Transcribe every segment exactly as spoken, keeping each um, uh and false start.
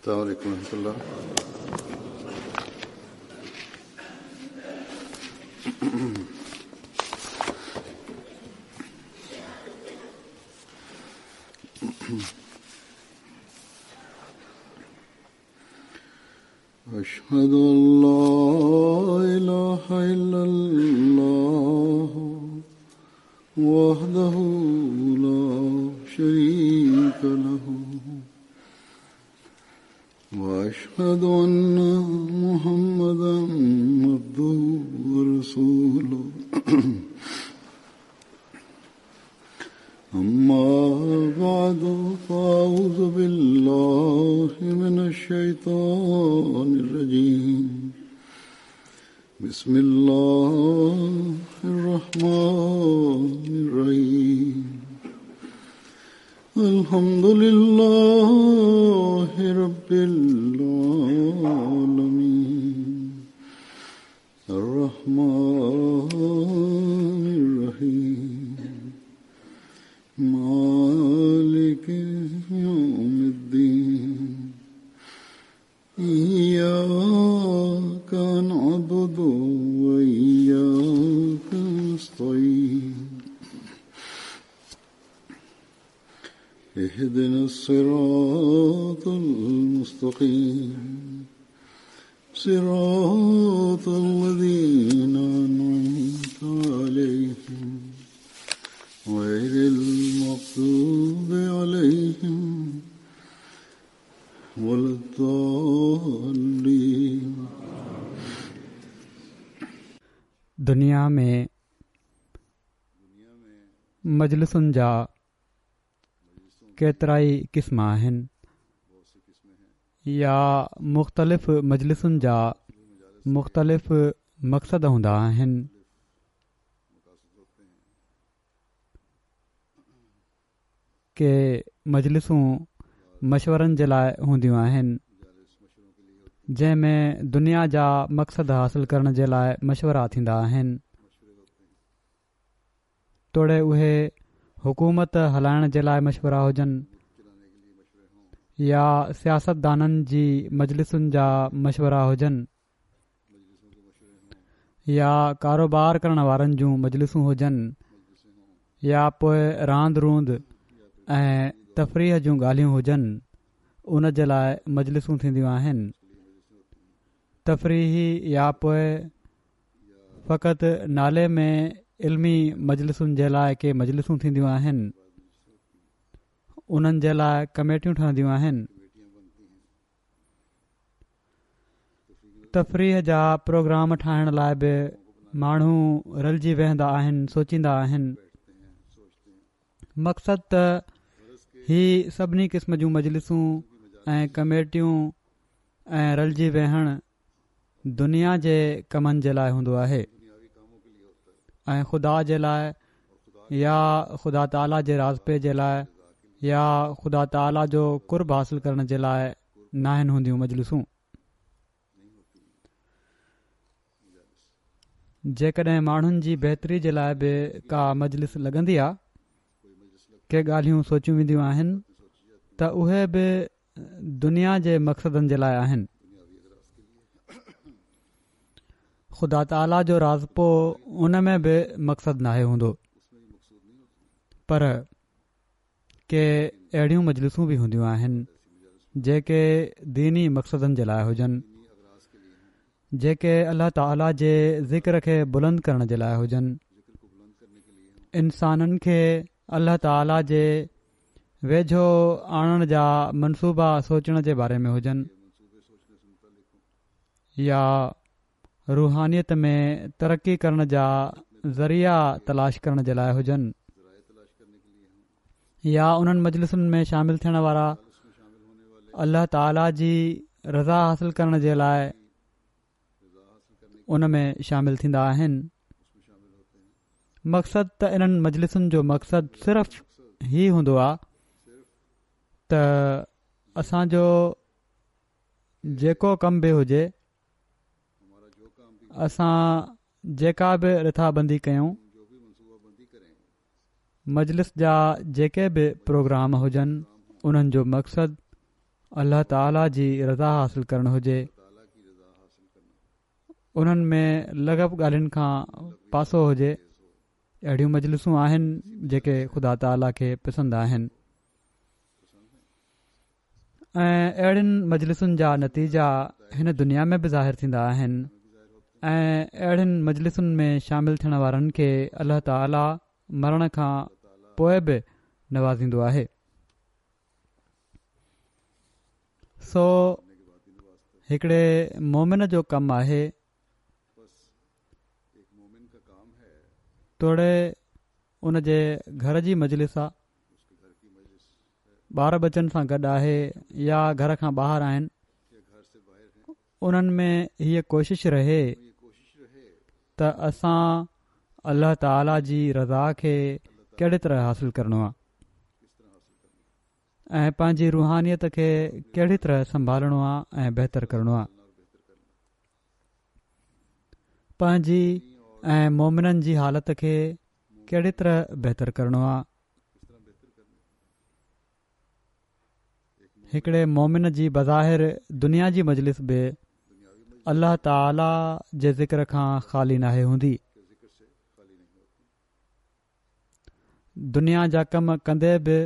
السلام عليكم ورحمة الله. أشهد أن لا إله إلا الله وحده لا شريك له وأشهد أن محمدا عبده ورسوله. أما بعد فأعوذ بالله من الشيطان الرجيم. بسم الله الرحمن الرحيم. الحمد لله رب العالمين الرحمن الرحيم مالك يوم الدين. إياك نعبد وإياك نستعين. اهدنا الصراط المستقيم صراط الذين أنعمت عليهم غير المغضوب عليهم ولا الضالين. دنيا ۾ مجلسن جا ڪيترائي قسم آهن يا مختلف مجلسن جا مختلف مقصد هوندا آهن. ڪي مجلسون مشورن جي لاءِ هونديون آهن، جنهن ۾ دنيا جا مقصد حاصل ڪرڻ جي لاءِ مشورا ٿيندا آهن، توڙي اهي حڪومت هلائڻ جي لاءِ مشورا هجن يا سياستدانن جي مجلسن جا مشورا هجن يا ڪاروبار ڪرڻ وارن جون مجلسون هجن يا پوءِ راند روند ۽ تفريح جون ڳالهيون هجن، ان جي لاءِ مجلسون ٿينديون آهن. تفريحي يا پوءِ فقط نالي ۾ علمي مجلسن جي لاءِ ڪي مجلسون ٿينديون آهن، انهن جي لاءِ ڪميٽيون ٺهنديون آهن. تفريح جا پروگرام ٺاهڻ لاءِ به ماڻهو رلجي ويهندا آهن، سوچيندا آهن. مقصد ته هي سڀني قسم جون مجلسون ۽ ڪميٽيون ۽ رلجي ويهڻ دنيا جي ڪمن جي لاءِ هوندو آهي ۽ خدا جي لاءِ يا خدا تعاليٰ جي راضپي جي لاءِ يا خدا تعاليٰ جو قرب حاصل ڪرڻ جي لاءِ ناهن هونديون مجلسون. جيڪڏهن ماڻهن جي بهتري جي لاءِ به ڪا مجلس لڳندي آهي، ڪي ڳالهيون سوچيون وينديون آهن، ته اهي به دنيا جي مقصدن جي لاءِ آهن. خدا تعاليٰ جو راضپو ان ۾ به مقصد ناهي هوندو. پر ڪي اهڙيون مجلسون به هونديون آهن جيڪي ديني مقصدن جي لاءِ هجن، جيڪي الله تعاليٰ جي ذڪر کي بلند ڪرڻ جي لاءِ هجن، انسانن کي الله تعاليٰ جي ويجهو آڻڻ جا منصوبا سوچڻ جي باري ۾ هجن يا روحانيت ۾ ترقي ڪرڻ جا ذريعا تلاش ڪرڻ جي لاءِ هجن يا انهن مجلسن ۾ شامل ٿيڻ وارا الله تعاليٰ جي رضا حاصل ڪرڻ جي لاءِ ان ۾ شامل ٿيندا آهن. مقصد ته انهن مجلسن جو مقصد صرف هي هوندو آهي ته اسان جو جيڪو ڪم به هجي، اسان جيڪا به رٿابندي ڪيون، مجلس جا جيڪي به پروگرام هجن، انهن جو مقصد الله تعاليٰ جي رضا حاصل ڪرڻ هجي. انهن ۾ لغو ڳالهين کان پاسو هجي. اهڙيون مجلسون آهن جيڪي خدا تعاليٰ کي پسند آهن ۽ اهڙين مجلسن جا نتيجا هن دنيا ۾ به ظاهر ٿيندا آهن ۽ اهڙين مجلسن ۾ شامل ٿيڻ وارن کي الله تعاليٰ مرڻ کان پوءِ به نوازيندو آهي. سو هڪڙي مومن جو ڪم آهي توڙي ان جي گهر جي مجلس آ، ٻار ٻچن سان گڏ آهي يا گهر کان ٻاهر آهن، انهن ۾ هيءَ ڪوشش رهي ته اسان الله تعاليٰ جي رضا کي ڪهڙي طرح حاصل ڪرڻو آهي ۽ پنهنجي روحانيت کي ڪهڙي طرح سنڀالڻو آهي ۽ بهتر ڪرڻو آهي. پنهنجي ۽ مومنن جي حالت کي ڪهڙي طرح بهتر ڪرڻو آهي. هڪڙي مومن جي بظاهر دنيا جي مجلس به الله تعاليٰ جي ذڪر کان خالي ناهي هوندي. دنيا جا ڪم ڪندي به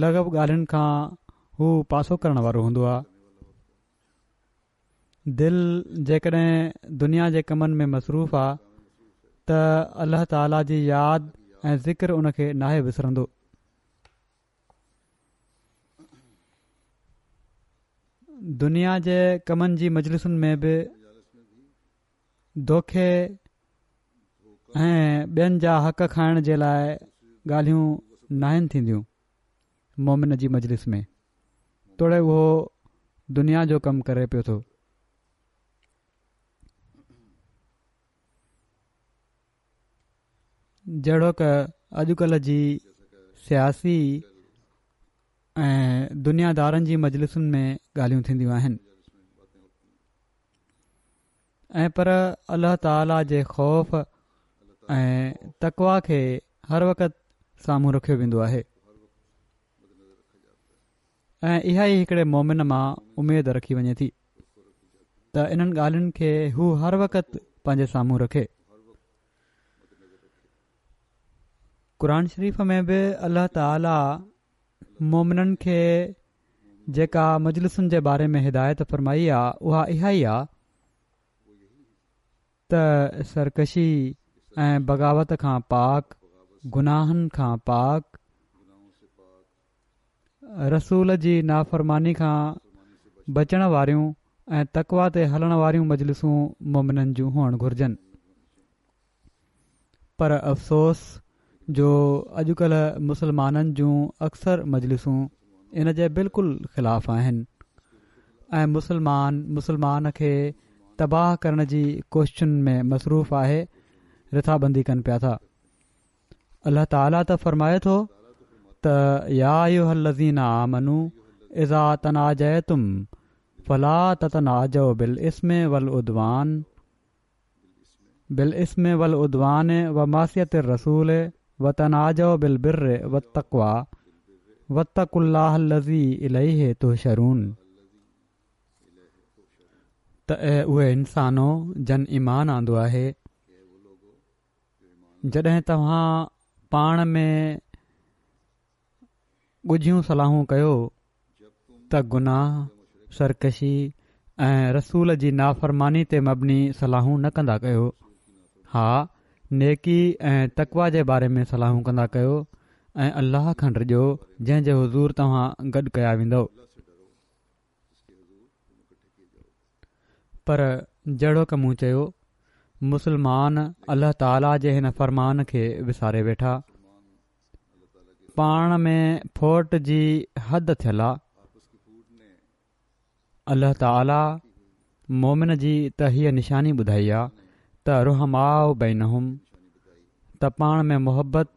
لغو ڳالهين کان هو پاسو ڪرڻ وارو هوندو آهي. دل جيڪڏهن دنيا جي ڪمن ۾ مصروف آهي ته الله تعاليٰ جي ياد ۽ ذڪر ان کي ناهي وسرندو. دنيا جي ڪمن جي مجلسن ۾ به دوکي ۽ ٻين جا حق کائڻ جي لاءِ ڳالهيون ناهن ٿينديون مومن جي مجلس ۾ توڙي اهو دنيا جو ڪم ڪري پيو ٿو. جهڙوڪ اڄڪلهه جي سياسي ۽ دنيادارن جي مجلسن ۾ ڳالهيون ٿينديون آهن ۽ پر الله تعاليٰ جي خوف ۽ تقويٰ کي هر وقت سامهون رکيو ويندو آهي ۽ اها ئي هڪڙي مومن مان اميد رکي وڃي ٿي ته انهن ڳالهين کي هو هر وقت پنهنجي سامهون رکي. قرآن شريف ۾ به الله تعاليٰ مومنن کي جيڪا مجلسن جي باري ۾ هدايت فرمائي آهي اها اها ئي آهي ته سرڪشي ۽ بغاوت کان پاڪ، گناهن کان پاڪ، رسول جي نافرماني کان بچڻ واريون ۽ تقويٰ تي هلڻ واريون مجلسون مومنن جون هئڻ گهرجن. پر افسوس جو اڄڪلهه مسلمانن جون اڪثر مجلسون ان جي بلڪل خلاف آهن ۽ مسلمان مسلمان کي تباهه ڪرڻ جي ڪوششن ۾ مصروف آهي، رٿابندي ڪن پيا ٿا. الله تعاليٰ ته فرمائي ٿو ته يا ايها الذين آمنوا اذا تناجيتم فلا تتناجوا بالإثم والعدوان بالإثم والعدوان ومعصية الرسول وتناجوا بالبر والتقوى واتقوا الله الذي إليه تحشرون. ته اي اهي انسانو جن ايمان آندو آهي، جڏهن توهان پاڻ ۾ ڳجهيون صلاحون ڪيو ته گناهه، سرڪشي ۽ رسول جي نافرماني تي مبني صلاحون نه ڪندا ڪيو. ها، نيڪي ۽ تقويٰ جي باري ۾ صلاحون ڪندا ڪيو ۽ الله کان ڊڄو جنهن جي حضور توهان گڏ ڪيا ويندؤ. پر جهڙوڪ مون چيو، مسلمان الله تعاليٰ جي هن فرمان کي وساري ويٺا. پاڻ ۾ ڦوٽ جي حد ٿيل آ. الله تعاليٰ مومن جي ته هيءَ نشاني ٻڌائي آ ته رحماء بينهم، ته پاڻ ۾ محبت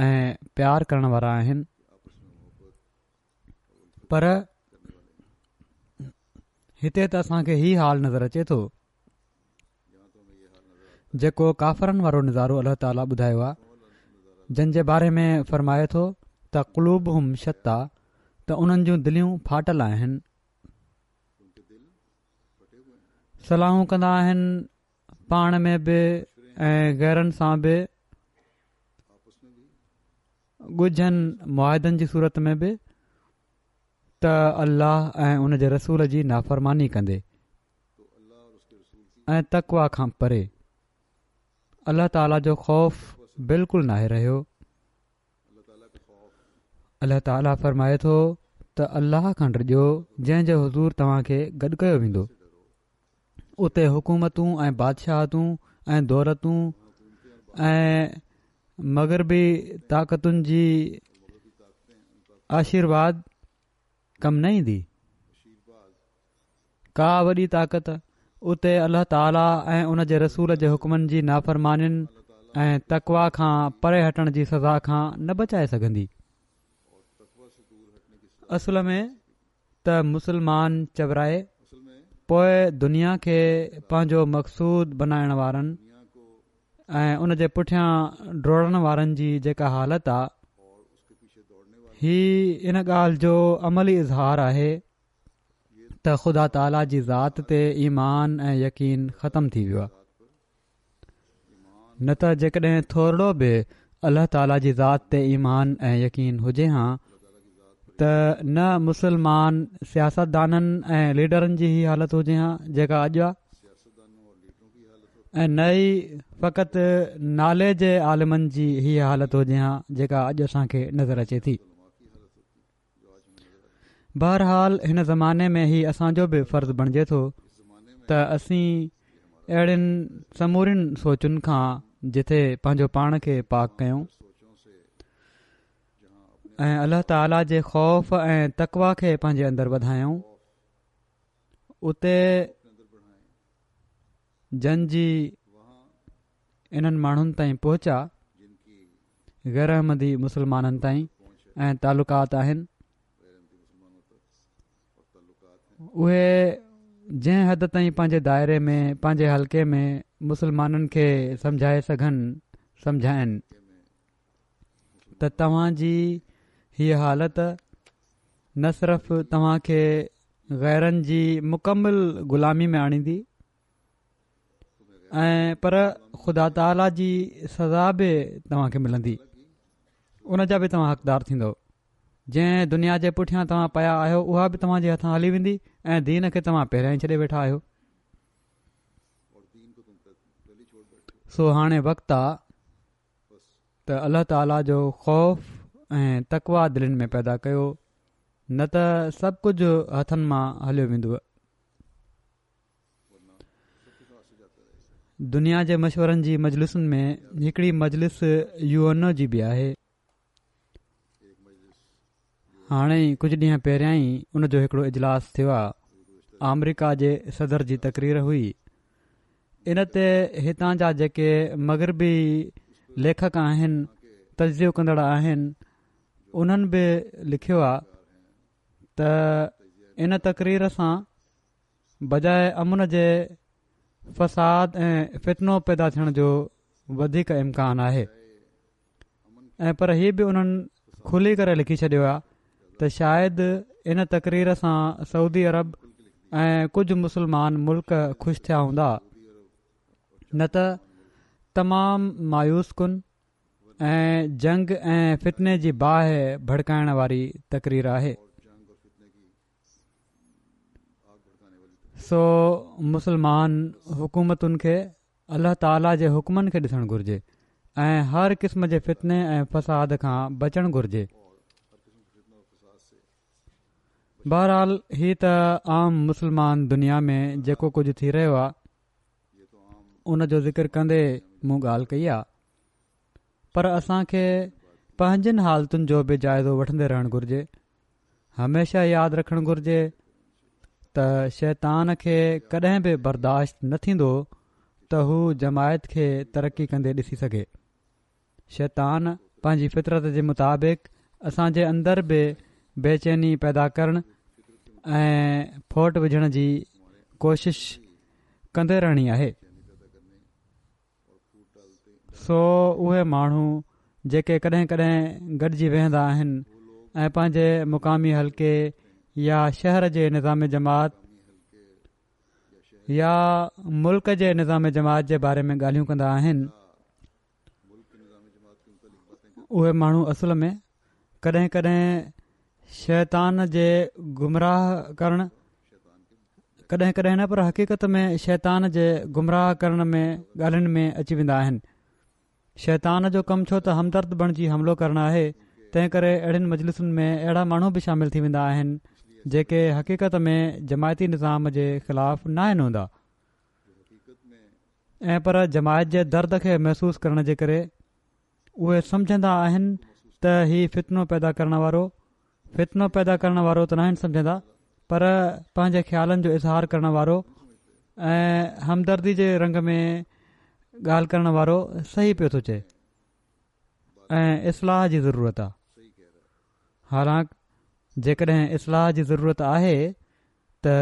۽ پيار ڪرڻ وارا آهن. پر هتي ته اسان کي هي حال نظر اچي ٿو جيڪو ڪافرن وارو نظارو الله تعاليٰ ٻڌايو آهي، جن جي باري ۾ فرمائي ٿو ته قلوبهم شتيٰ، ته انهن جون دليون ڦاٽل آهن. صلاحون ڪندا آهن پاڻ ۾ به ۽ غيرن سان به، ڳجهن معاهدن جي صورت ۾ به، ته الله ۽ ان جي رسول جي نافرماني ڪندي ۽ تقويٰ کان پري الله تعاليٰ جو خوف بلڪل ناهي رهيو. الله تعاليٰ فرمائي ٿو ته الله کان ڊڄو جنهن جي حضور توهان کي گڏ ڪيو ويندو. اتي حڪومتون ۽ بادشاهتون ۽ دولتون ۽ مغربي طاقتن جي آشيرواد ڪم نه ايندي. ڪا وڏي طاقت اتي الله تعاليٰ ۽ ان جي رسول جي حڪمن جي نافرمانين ۽ تقويٰ کان پري هٽڻ جي سزا کان نه بچائي سگهندي. اصل ۾ ته مسلمان چورائي پوءِ دنيا کي پنهنجو مقصود بنائڻ وارن ۽ ان جي پٺيان ڊوڙڻ وارن جي جيڪا حالت آ، هي ان ڳالهه جو عملي اظهار آهي ته خدا تعاليٰ جي ذات تي ايمان ۽ يقين ختم ٿي ويو آهي. نه ته جيڪڏهن ٿورڙو به الله تعاليٰ جي ذات تي ايمان ۽ يقين هجي ها ته نه مسلمان سياستدانن ۽ ليڊرن جي هي حالت هجي ها جيڪا اڄ آهي، ۽ نه ئي فقط نالي جي عالمن جي هي حالت هجي ها جيڪا اڄ اسان کي نظر اچي ٿي. بهرحال هن زماني ۾ هي اسان جو به فرض بڻجي ٿو ته اسين اهڙين سمورين سوچن کان جٿي پنهنجو پاڻ کي پاڪ ڪيون ۽ الله تعاليٰ جي خوف ۽ تقويٰ کي پنهنجي اندر وڌايون، اتي جن جي انهن ماڻهن تائين پهچ آ، غير احمدي مسلمانن تائين ۽ تعلقات آهن، اهي جنهن حد تائين پنهنجي دائري ۾ پنهنجي حلقي ۾ مسلمانن کي سمجهائي سگهن سمجهائن ته توهان جي هيء حالت نه صرف توهان کي غيرن جي مڪمل غلامي ۾ آڻيندي ۽ پر خدا تعاليٰ جي سزا به توهان کي ملندي، ان جا به توهان حقدار ٿيندؤ. جنهن دنيا جي پٺيان توهان پيا آهيو اها به توهان جي هٿان هلي ويندي ۽ دين کي توهان پهريان ئي ڇڏي ويٺا آهيو. سو هاڻي وقت آ ته الله تعاليٰ جو خوف ۽ تقويٰ دلين ۾ پيدا ڪيو، نه ته سڀ ڪجهه هٿن مان هليو ويندو. دنيا جي مشورن جي مجلسن ۾ هڪڙي مجلس يو اين او جي به آهي. هاڻي ئي ڪجهه ڏينهن پهريان ئي ان جو هڪڙو اجلاس ٿيو آ. آمريڪا جي صدر جي تقرير هئي. ان تي هتان جا جيڪي مغربي ليکڪ آهن، تجزيو ڪندڙ آهن، انهن به لکيو آ ته ان تقرير سان بجاءِ امن جي فساد ۽ فتنو پيدا ٿيڻ جو وڌيڪ امڪان آهي. ۽ پر هي به انهن کلي ڪري لکي ڇڏيو آ ته شايد ان تقرير سان سعودي عرب ۽ ڪجهه مسلمان ملڪ خوش ٿيا هوندا، نه ته تمام مايوس ڪن ۽ جنگ ۽ فتني جي باهه ڀڙڪائڻ واري تقرير آهي. سو مسلمان حڪومتن کي الله تعاليٰ جي حڪمن کي ڏسڻ گهرجي ۽ هر قسم جي فتني ۽ فساد کان بچڻ گهرجي. بهرحال هي ته عام مسلمان دنيا ۾ جيڪو ڪجهه ٿي رهيو آهي ان جو ذڪر ڪندي مون ڳالهه ڪئي آهي، پر اسان کي پنهنجن حالتن جو به جائزو وٺندي رهڻ گهرجي. هميشه ياد رکڻ گهرجي ته شيطان کي ڪڏهن به برداشت نه ٿيندو ته هو جماعت کي ترقي ڪندي ڏسي سگهي. شيطان پنهنجي فطرت جي مطابق اسان جي اندر به بيچيني پيدا ڪرڻ ۽ ڦوٽ وجهڻ جي ڪوشش ڪندي رهڻي آهي. سو اهي ماڻهو جيڪي ڪڏهن ڪڏهن گڏجي ويهندا آهن ۽ پنهنجي مقامي حلقي يا شهر جي نظام جماعت يا ملڪ جي نظام جماعت جي باري ۾ ڳالهيون ڪندا آهن، اهي ماڻهو اصل ۾ ڪڏهن ڪڏهن شيطان جي گمراهه ڪرڻ ڪڏهن ڪڏهن نه پر حقيقت ۾ شيطان جي گمراهه ڪرڻ ۾ ڳالهين ۾ اچي ويندا آهن. شيطان جو ڪم ڇو ته همدرد بڻجي حملو ڪرڻ آهي، تنهن ڪري اهڙين مجلسن ۾ اهڙا ماڻهو به شامل ٿي ويندا آهن جيڪي حقيقت ۾ جماعتي نظام جي خلاف ناهن هوندا ۽ پر جماعت جي درد کي محسوس ڪرڻ جي ڪري اهي سمجهندا آهن ته هي فتنو پيدا ڪرڻ وارو فتنو پيدا ڪرڻ وارو ته ناهن سمجهندا پر پنهنجي خيالن جو اظهار ڪرڻ وارو ۽ همدردي جي رنگ ۾ ڳالهه ڪرڻ وارو صحيح پيو ٿو چئي ۽ اصلاح جي ضرورت آهي. حالانڪ جيڪڏهن اصلاح جي ضرورت آهي ته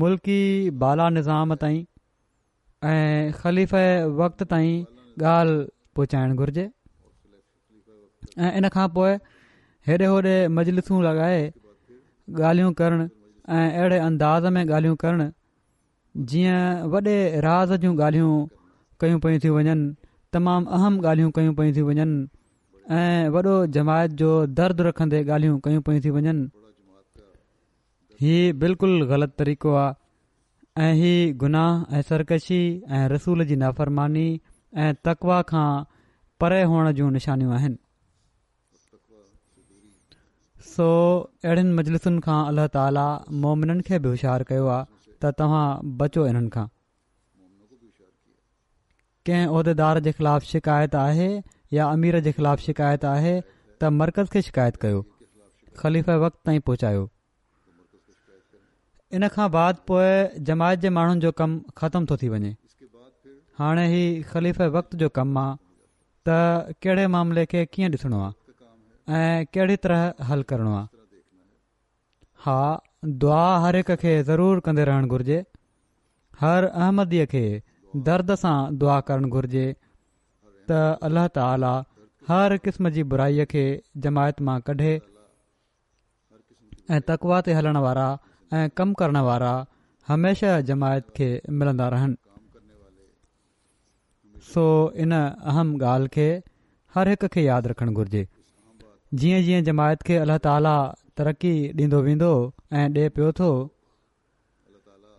ملڪي بالا نظام تائين ۽ خليفه وقت تائين ڳالهه پهچائڻ گهرجي ۽ ان کان پوء هيڏي هوڏي مجلسون لڳائي ڳالهيون ڪرڻ ۽ اهڙي انداز ۾ ڳالهيون ڪرڻ جيئن وڏي راز جون ڳالهيون ڪيون پيون ٿيون وڃن، تمام اهم ڳالهيون ڪيون پيون ٿيون وڃن ۽ وڏو جماعت جو درد رکندي ڳالهيون ڪيون پيون ٿيون وڃن، هي بلڪل غلط طريقو آهي ۽ هي گناهه ۽ سرڪشي ۽ رسول جي نافرماني ۽ تقويٰ کان پري هئڻ جون نشانيون آهن. سو اهڙين مجلسن کان الله تعاليٰ مومنن کي به هوشيار ڪيو آهي ته توهان بچو انهن کان. ڪنهن عهديدار جي خلاف شڪايت آهي يا امير جي خلاف شڪايت آهي ته مرڪز کي شڪايت ڪيو، خليفه وقت تائين پهچايو. ان کان بعد پوء جماعت جي ماڻهن جو ڪم ختم ٿو ٿي وڃي. هاڻي هي خليفه وقت جو ڪم آ ته ڪهڙي معاملي کي ڪيئن ڏسڻو آ ۽ ڪهڙي طرح حل ڪرڻو آ. ها دعا هر هڪ کي ضرور ڪندي رهڻ گهرجي. هر احمديء کي درد سان دعا ڪرڻ گهرجي ته الله تعالي هر قسم جي برائي کي جماعت مان ڪڍي ۽ تقويٰ تي هلڻ وارا ۽ ڪم ڪرڻ وارا هميشه جماعت کي ملندا رهن. سو ان اهم ڳالهه کي هر هڪ کي ياد رکڻ گهرجي. جيئن جيئن جماعت کي الله تعالي ترقي ڏيندو ويندو ۽ ڏي پيو ٿو،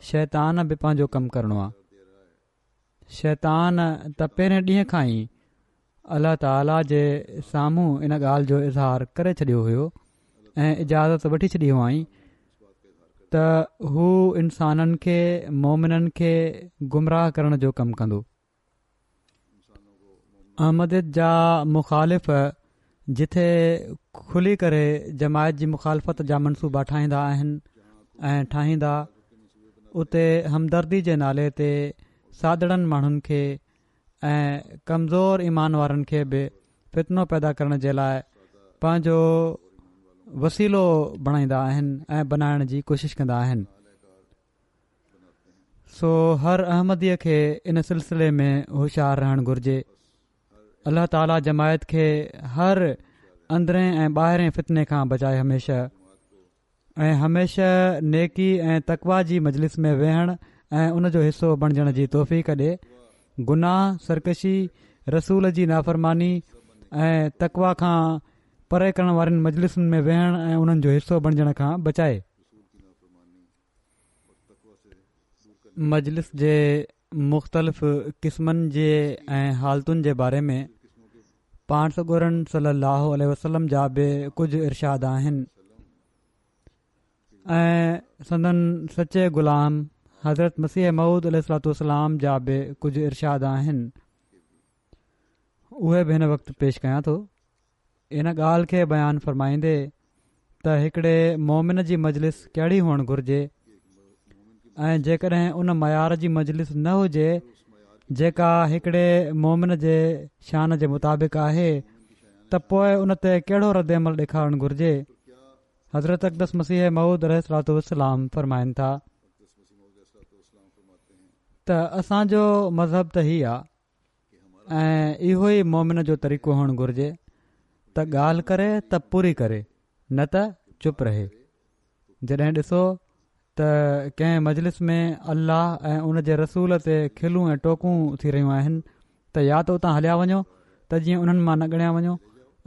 شيطان به پنهنجو ڪم ڪرڻو آ. شيطان ته پهرين ڏينهن کان ئي الله تعاليٰ جي سامهون ان ڳالهه جو اظهار ڪري ڇڏيو هيو ۽ اجازت وٺي ڇڏي هئائين ته هو انسانن کي مومنن کي گمراهه ڪرڻ جو ڪم ڪندو. احمديت جا مخالف جٿي کلي ڪري جماعت جي مخالفت جا منصوبا ٺاهيندا آهن ۽ ٺاهيندا اتي همدردي جي نالي تي سادڙن ماڻهن کي ۽ ڪمزور ايمان وارن کي به فتنو پيدا ڪرڻ جي لاء پنهنجو وسيلو بڻائيندا آهن ۽ بنائڻ جي ڪوشش ڪندا آهن. سو هر احمديء کي ان سلسلي ۾ هوشيار رهڻ گهرجي. الله تعالي جماعت کي هر اندرين ۽ ٻاهرين فتني کان بچائي هميشه ۽ هميشه نيڪي ۽ تقويٰ جي مجلس ۾ ويهڻ ۽ ان جو حصو بڻجڻ جي توفيق ڏي. گناهه، سرڪشي، رسول جي نافرماني ۽ تقويٰ کان پري ڪرڻ وارين مجلسن ۾ ويهڻ ۽ انهن جو حصو بڻجڻ کان بچائي. مجلس جي مختلف قسمن جي ۽ حالتن جي باري ۾ پاڻ سڳورن صلي الله عليه وسلم جا به ڪجهه ارشاد آهن ۽ سندن سچي غلام حضرت مسيح موعود عليه الصلوة والسلام جا به ڪجهه ارشاد آهن اهي به هن وقت پيش ڪيان ٿو. ان ڳالهه کي بيان فرمائيندي ته هڪڙي مومن جي مجلس ڪهڙي هئڻ گهرجي ۽ جيڪڏهن ان معيار جي مجلس نه هجي جيڪا هڪڙي مومن جي شان جي مطابق آهي ته پوء ان تي ڪهڙو رد عمل ڏيکارڻ گهرجي حضرت اقدس مسيح موعود عليه الصلوة والسلام فرمائن ٿا ته اسان جو مذهب ته هي آ ۽ اهو ئي مومن جو طريقو هئڻ گهرجي ته ڳالهه ڪري ته پوري ڪري نه ته چپ رهي. جڏهن ڏسو ته ڪنهن مجلس ۾ الله ۽ ان جي رسول تي کلون ۽ ٽوڪون ٿي رهيون آهن ته يا ته اتان هليا وڃو ته جيئن انهن مان نه ڳڻيا وڃو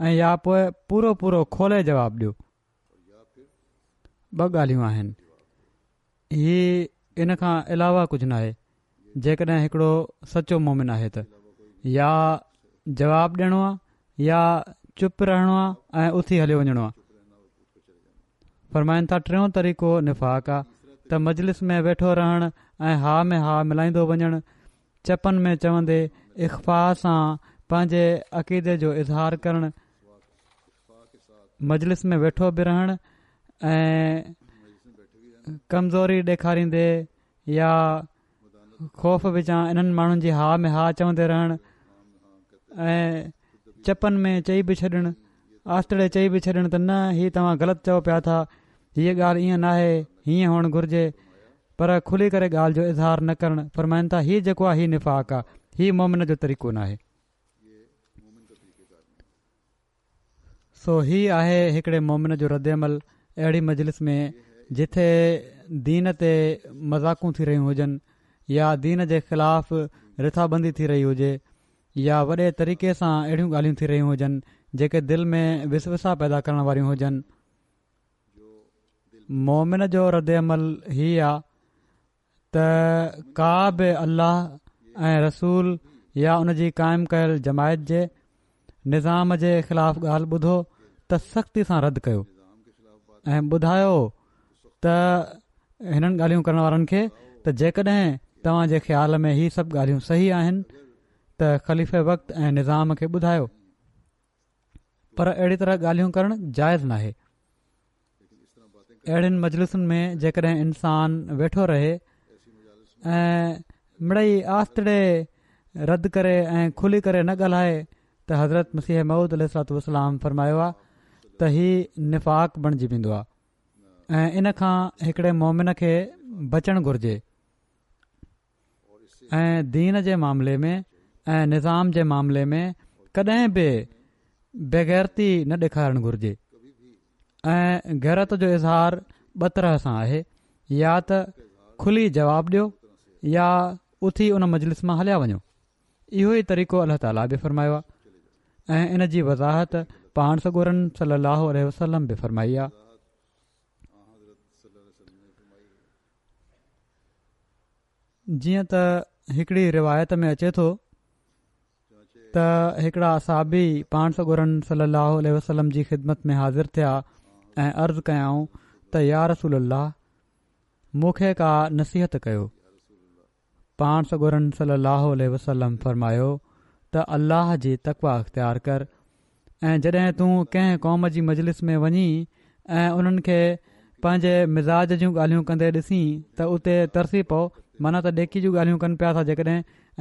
۽ يا پوءِ پورو پورو کولي جواب ڏيو. ٻه ڳالهيون آهن، هي ان کان علاوه ڪجهه ناهي. جيڪڏهن هڪڙو سچو مومن آهي ته يا جواب ڏيڻو آهي يا چپ رهڻو آهي ۽ اٿي هليو وڃڻو آهي. فرمائن ٿا ٽيون طريقو نفاق آهي ته مجلس ۾ ويٺو رهڻ ۽ ها ۾ ها ملائيندو وڃڻ، چپن ۾ چوندي اخفا سان پنهنجي عقيدي جو اظهار ڪرڻ، مجلس ۾ ويٺو به رهڻ ۽ ڪمزوري ڏيکاريندي يا خوف وچان انهن ماڻهن جي ها ۾ ها چوندي رهڻ ۽ چپن ۾ چئي به ڇڏڻ، آستڙي چئي به ڇڏڻ ته نه هي توهان غلط چئو پيا ٿا، هيءَ ڳالهه ائين ناهي، هيئن هئڻ گهرجي، پر کلي ڪري ڳالهه جو اظهار نه ڪرڻ. فرمائن ٿا هي جيڪو آهي هي نفاق آهي، هي مومن جو طريقو ناهي. سو هي آهي هڪڙي مومن جو رد عمل اهڙي مجلس ۾ جٿي دين تي مذاقون ٿي رهيون هجن يا دين جي خلاف رٿابندي ٿي رهي هجي يا وڏي طريقي سان اهڙيون ڳالهيون ٿي رهيون هجن جيڪي دل ۾ وسوسا پيدا ڪرڻ واريون هجن. مومن جو رد عمل هي آ ته ڪا به الله ۽ رسول يا ان جي قائم ڪيل جماعت جي نظام جي خلاف ڳالهه ٻڌو ته سختي سان رد ڪيو ۽ ٻڌايو ته هنن ڳالهيون ڪرڻ وارن کي ته جيڪڏهن توهان جي خيال ۾ هي سڀ ڳالهيون صحيح آهن ته خليفي وقت ۽ نظام کي ٻڌايو، پر اهڙي طرح ڳالهيون ڪرڻ جائز ناهي. اهڙين مجلسن ۾ جيڪڏهن انسان ويٺو رهي ۽ مڙئي آستڙي رد ڪري ۽ کلي ڪري نه ڳالهائي ته حضرت مسيح موعود عليه الصلوة والسلام فرمايو آهي ته هي نفاق بڻجي ويندو آهي ۽ ان کان هڪڙي مومن کي بچڻ گهرجي ۽ دين جي معاملي ۾ ۽ نظام جي معاملي ۾ ڪڏهن به بيغيرتي نه ڏيکارڻ گهرجي. ۽ غيرت جو اظهار ٻه طرح سان آهي، يا ته کلي جواب ڏيو يا اٿي ان مجلس مان هليا وڃو. اهو ئي طريقو الله تعاليٰ به فرمايو آهي ۽ ان جي وضاحت پاڻ سڳورن صلي الله عليه وسلم به فرمائي آهي. جيئن ته هڪڙي روايت ۾ اچي ٿو ته هڪڙا صحابي پاڻ سڳورن صلي الله عليه وسلم جي خدمت ۾ حاضر ٿيا ۽ عرض ڪيائون ته يا رسول الله مون کي ڪا نصيحت ڪيو. پاڻ سڳورن صلي الله عليه وسلم فرمايو ته الله جي تقويٰ اختيار ڪر ۽ جڏهن تون ڪنهن قوم جي مجلس ۾ وڃين ۽ انهن کي پنهنجي مزاج جون ڳالهيون ڪندي ڏسين ته اتي ترسي پئو، معنيٰ ته ڏيڪي جون ڳالهيون ڪن پيا ٿا جيڪڏهن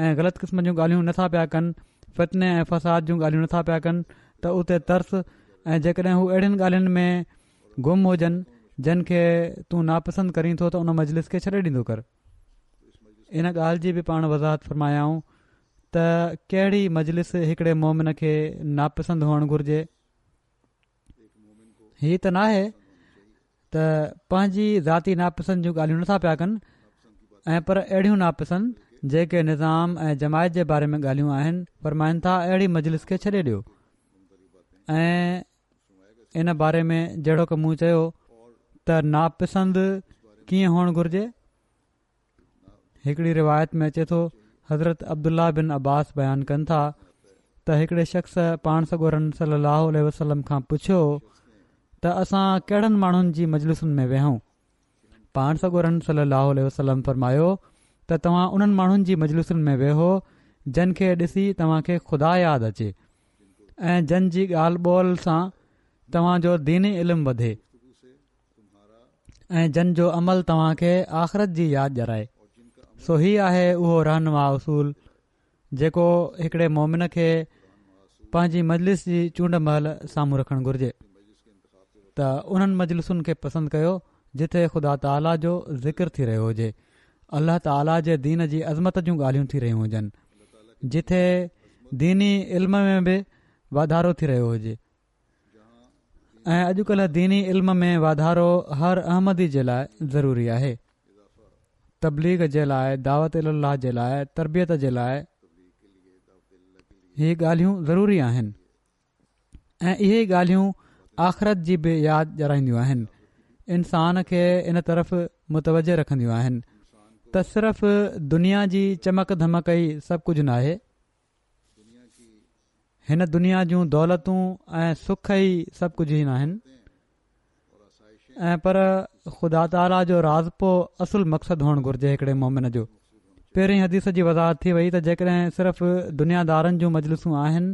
۽ غلط قسم جون ڳالهيون نٿا پيا ڪن، فتني ۽ فساد جون ڳالهيون نٿا پيا ڪن ته اتي ترس، ۽ جيڪڏهن هو اهڙين ڳالهين ۾ گم هجن جن کي تون ناپسند ڪرين ٿو ته ان مجلس کي ڇڏي ڏيندو ڪر. ان ڳالهه جي به پاڻ وضاحت فرمايائون ته ڪهڙي مجلس هڪڙي مومن کي ناپسند هئڻ گهرجي. هي ته ناهي ته پنهنجي ذاتي ناپسند جون ڳالهيون نٿا پيا ڪن ۽ پر اهڙيون ناپسند جيڪي نظام ۽ جماعت جي باري ۾ ڳالهيون آهن. فرمائن ٿا اهڙي مجلس کي ڇڏي ڏيو. ۽ ان باري ۾ جهڙوڪ مون چيو ته ناپسند ڪيئن هئڻ گهرجي. هڪڙي روايت ۾ اچي ٿو حضرت عبدالله بن عباس بيان ڪن ٿا ته هڪڙي شخص پاڻ سڳورن صلي الله عليه وسلم کان پڇيو ته اسان ڪهڙن ماڻهن جي مجلسن ۾ ويهون. پاڻ سڳورن صلي الله عليه وسلم فرمايو ته توهان انهن ماڻهن جي مجلسن ۾ ويهو جن کي ڏسي توهان کي خدا ياد اچي ۽ جن جي ڳالهه ٻولهه سان توهان جو ديني علم وڌي ۽ جن جو عمل توهان کي آخرت جي ياد ڏيارائي. سو هي آهي اهو رهنما اصول جيڪو هڪڙي مومن کي پنهنجي مجلس جي چونڊ مهل سامهون رکڻ گهرجي ته انهن مجلسن کي پسند ڪيو جٿي خدا تعاليٰ جو ذڪر ٿي رهيو هجي، الله تعاليٰ جي دين جي عظمت جون ڳالهيون ٿي رهيون هجن، جٿي ديني علم ۾ به واڌارو ٿي رهيو هجي ۽ اڄڪلهه ديني علم ۾ واڌارو هر احمدي جي لاء ضروري آهي. تبليغ جي لاء، دعوت الي الله جي لاء، تربيت جي لاء هي ڳالهيون ضروري آهن ۽ اهي ڳالهيون آخرت جي به ياد ڏيارائينديون آهن. انسان کي ان طرف متوجه رکنديون آهن ته صرف دنيا جي چمڪ ڌمڪ ئي سڀ ڪجهه ناهي. هن دنيا جون دولتون ۽ سک ئي سڀ ڪجهه ئي ناهن ۽ پر خدا تعاليٰ جو راضپو اصل مقصد هئڻ گهرجي هڪڙي مومن جو. پهرين حديث جي وضاحت ٿي وئي ته جيڪڏهن صرف دنيا دارن جون مجلسون آهن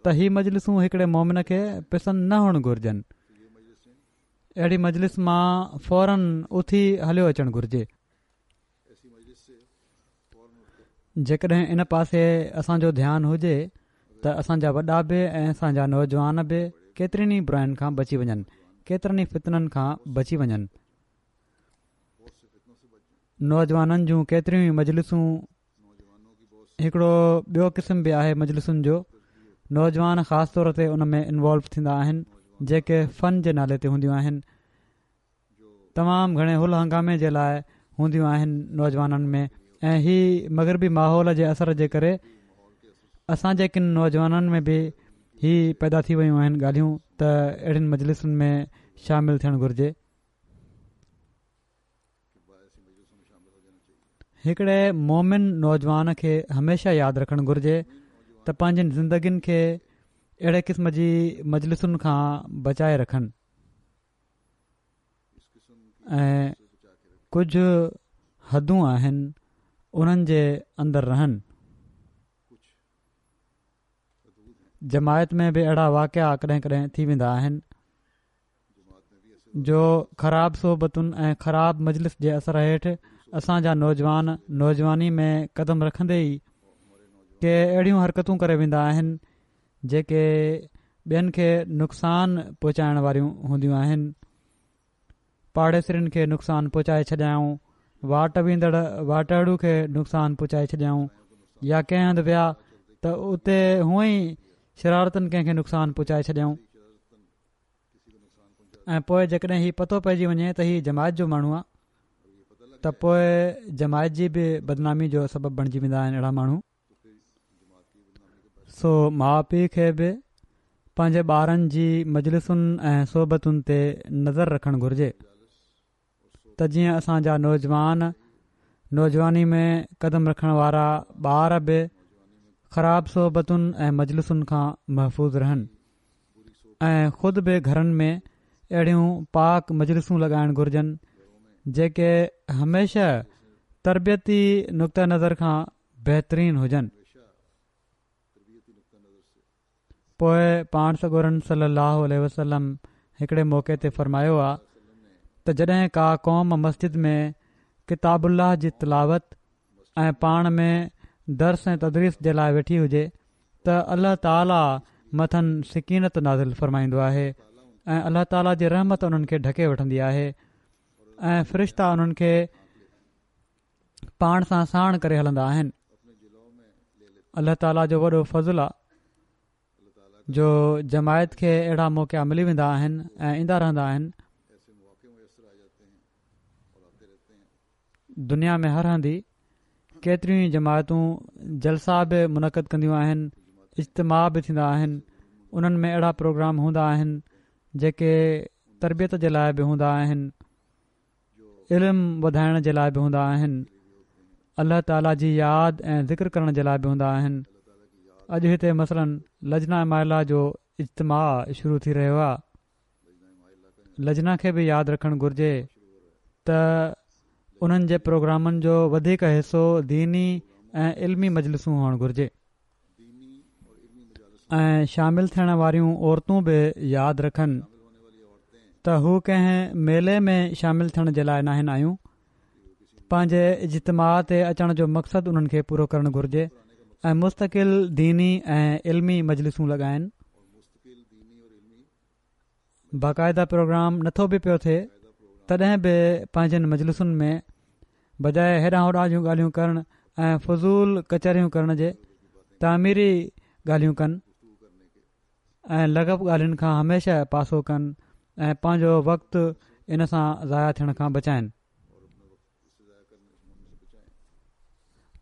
ته هي مجلسون هڪڙي مومن کي پسند نه هئڻ گهرجن. اهڙي مجلس مان فورن اٿي هليو اچڻ گهرجي. جيڪڏهن ان پاسي اسان جو ڌيان هجي ته اسان جا وڏا به ۽ اسان جا نوجوان به ڪيترين ئي براين کان بچي وڃن، ڪيترن ئي فتنن کان بچي وڃن. نوجوانن جون ڪيتريون ئي مجلسون، هڪڙو ٻيو قسم به آهي مجلسن جو، نوجوان خاص طور تي ان ۾ انوالو ٿيندا آهن جيڪي فن جي نالي تي هونديون آهن. تمام گهڻي هل هنگامي جي لاء هونديون آهن نوجوانن ۾ ۽ هي مغربي ماحول جي اثر جي ڪري اسان جي ڪن نوجوانن ۾ به هي پيدا ٿي ويون آهن ڳالهيون ته اهڙين مجلسن ۾ شامل ٿيڻ گهرجي. هڪڙي مومن نوجوان کي هميشه ياد رکڻ گهرجي ته پنهنجين زندگين کي اهڙي قسم جي مجلسن کان بچائي رکن ۽ ڪجهه حدون آهن انهن جي اندر رهن. جماعت ۾ به اهڙا واقعا ڪڏهن ڪڏهن ٿي ويندا آهن جو خراب صحبتن ۽ خراب مجلس جي اثر هيٺ اسان جا نوجوان نوجواني ۾ قدم رکندي ئي ڪي اهڙيون حرڪتون ڪري ويندا آهن جيڪي ٻين کي نقصان پهچائڻ واريون هونديون آهن. پاڙيسرين کي نقصان پهچائي ڇڏيائون، واٽ ويندڙ واٽهڙو کي نقصان پهچائي ڇڏيائون يا ڪنهن هنڌ ويا ته اتي هونئن ئي شرارتن ڪنهن کي نقصان پهچائي ڇڏيائون ۽ پوء جيڪڏهن هي پتو پئجي وڃي ته هي جماعت جو ماڻهو آهي ته پوء جماعت جي به بدنامي جو سبب بڻجي ويندا آهن اهڙا ماڻهو. سو ماء پيء کي به پنهنجي ٻارن جي مجلسن ۽ صحبتن تي نظر رکڻ گهرجي ته جيئن اسان جا نوجوان، نوجواني ۾ قدم رکڻ وارا ٻار به خراب صحبتن ۽ مجلسن کان محفوظ رهن ۽ خود به گهرن ۾ اهڙيون پاڪ مجلسون لڳائڻ گهرجن جيڪي هميشه تربيتي نقطه نظر کان بهترين هجن. پوء پاڻ سڳورن صلي الله عليه وسلم هڪڙي موقعي تي فرمايو آ ته جڏهن ڪا قوم مسجد ۾ ڪتاب الله جي تلاوت ۽ پاڻ ۾ درس ۽ تدريس جي لاء ويٺي هجي ته الله تعاليٰ مٿن سڪينت نازل فرمائيندو آهي ۽ الله تعاليٰ جي رحمت انهن کي ڍڪي وٺندي آهي ۽ فرشتا انهن کي پاڻ سان ساڻ ڪري هلندا آهن. الله تعاليٰ جو وڏو فضل آ جو جماعت کي اهڙا موقعا ملي ويندا آهن ۽ ايندا رهندا آهن. دنيا ۾ هر هنڌ ڪيتريون ئي جماعتون جلسا به منعقد ڪنديون آهن، اجتماع به ٿيندا آهن، انهن ۾ اهڙا پروگرام هوندا آهن جيڪي تربيت جي لاء به هوندا آهن، علم وڌائڻ جي لاء به هوندا آهن، الله تعاليٰ جي ياد ۽ ذڪر ڪرڻ جي لاء به هوندا آهن. اڄ هتي مثلاً لجنه اماء الله جو اجتماع شروع ٿي رهيو آهي. لجنه کي به ياد رکڻ گهرجي ته انهن جي پروگرامن جو وڌيڪ حصو ديني ۽ علمي مجلسون هئڻ گهرجي ۽ شامل ٿيڻ واريون عورتون به ياد رکن ته هو ڪنهن ميلي ۾ شامل ٿيڻ جي لاء ناهن آيون. پنهنجي اجتماع تي اچڻ جو مقصد انهن کي پورو ڪرڻ گهرجي ۽ مستقل ديني ۽ علمي مجلسون لڳائن. باقاعده پروگرام نٿو به پيو ٿئي تڏهن به پنهنجن مجلسن ۾ بجاء هيڏانهن هوڏانهن جون ڳالهيون ڪرڻ ۽ فضول ڪچهريون ڪرڻ جي تعميري ڳالهيون ڪن. ۽ لغو ڳالهين کان هميشه پاسو ڪن ۽ پنهنجو وقت ان سان ضايع ٿيڻ کان بچائن.